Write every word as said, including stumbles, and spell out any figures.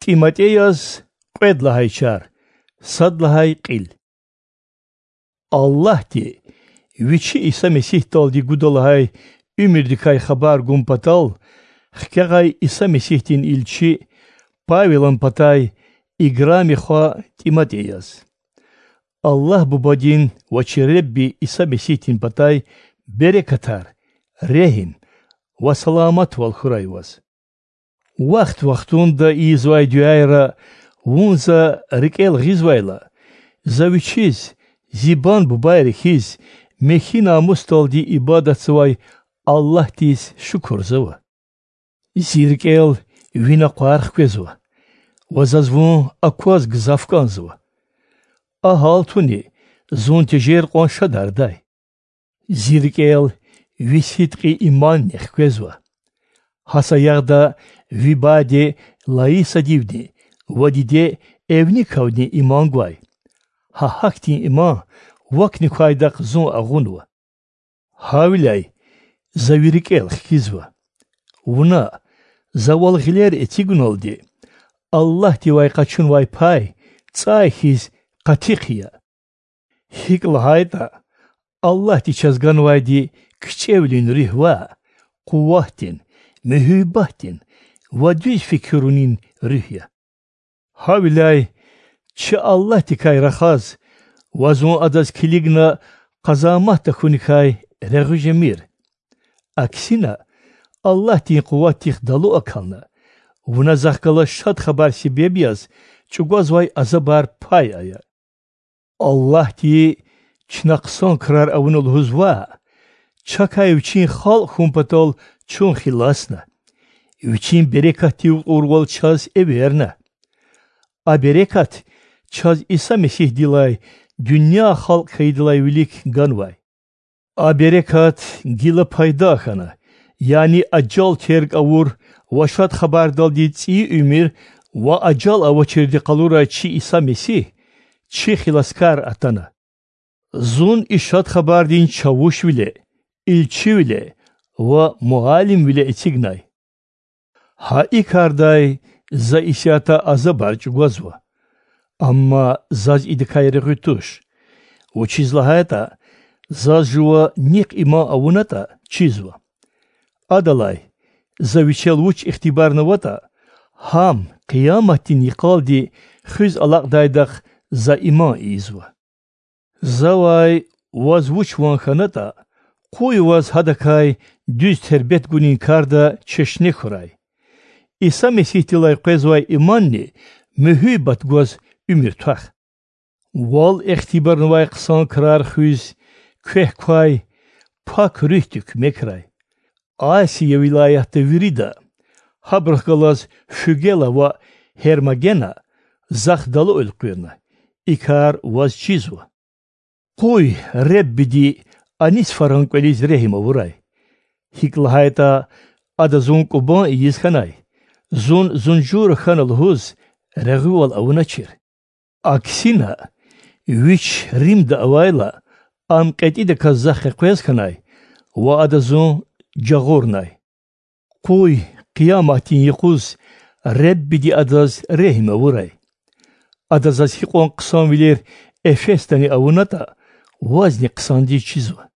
ТӀиматӀеяз кьвед лагьай чар, сад лагьай кьил. Аллагьди Вичи Иса Месигьдалди гуда лагьай уьмуьрдикай хабар гун патал, хкягъай Иса Месигьдин илчи Павелан патай играми хва ТӀиматӀеяз. Аллагь Бубадин ва чи Ребби Иса Месигьдин патай берекатар, регьим ва саламатвал хьурай ваз. Вахт-вахтунда ийизвай дуьайра вун за рикӀел гъизвайла, за Вичиз, зи бан-бубайри хьиз, михьи намусдалди ибадатзавай Аллагьдиз шукурзава. Зи рикӀел ви накъвар хквезва ва заз вун акваз гзаф кӀанзава. А гьалтуни зун тежер кьван шадардай. Зи рикӀел ви сидкьи иманни хквезва. Гьа саягъда ви баде Лаисадивни ва диде Эвникавни иман гвай. Гьа гьахьтин иман вакни квайдахъ зун агъунва. Гьавиляй за ви рикӀел хкизва. Вуна, завал гъилер эцигуналди, Аллагьдивай къачунвай пай цӀай хьиз къати хъия. ГьикӀ лагьайтӀа, Аллагьди чаз ганвайди кичӀевилин руьгь ваъ, къуватдин, муьгьуьббатдин ва дуьз фикирунин руьгь я. Гьавиляй чи Аллагьдикай рахаз ва зун Адаз килигна къазамат тахьуникай регъуь жемир. Аксина, Аллагьдин къуватдихъ далу акална, вуна Захъ галаз Шад Хабар себеб яз чӀугвазвай азабар пай ая. Аллагьди чна хъсан крар авуна лугьуз ваъ, чакай Вичин халкь хьун патал чун хиласна, Вичин берекатдив кьурвал чаз эверна. А берекат чаз Иса Месигьдилай дуьнья халкь хьайидалай вилик ганвай. А берекат гила пайда хьана, яни ажал терг авур ва Шад Хабардалди цӀийи уьмуьр ва ажал авачирди къалурай чи Иса Месигь чи хиласкар атана. Зун и Шад Хабардин чавушвиле, илчивиле ва муаллимвиле эцигнай. Гьа и кардай за исятда азабар чӀугвазва, амма заз идакай регъуь туш, вучиз лагьайтӀа заз жува нихъ иман авунатӀа чизва. Адалай, за вичел вуч ихтибарнаватӀа, гьам къияматдин йикъалди хуьз алакьдайдахъ за иман ийизва. Завай ваз вуч ван хьанатӀа, къуй ваз гьадакай дуьз тербет гунин карда чешне хьурай. Иса Месигьдилай къвезвай иманни муьгьуьббат гваз уьмуьр твах. Вал ихтибарнавай хъсан крар хуьз квехъ квай Пак Руьгьди куьмекрай. Асия вилаятда вирида, гьабурухъ галаз Фугела ва Гьермогена, Захъ далу элкъуьрна, и кар ваз чизва. Къуй Реббиди Онисифоран кӀвализ регьим авурай. ГьикӀ лагьайтӀа ада зун кӀубан ийиз хьанай, зун зунжура хьана лугьуз регъуьвал авуначир. Аксина, вич Римда авайла, ам кьетӀидаказ захъ къекъвез хьанай ва ада зун жагъурнай. Къуй къияматдин юкъуз Реббиди адаз регьим авурай. Ада заз гьикьван хъсанвилер Эфесдани авунатӀа, вазни хъсандиз чизва.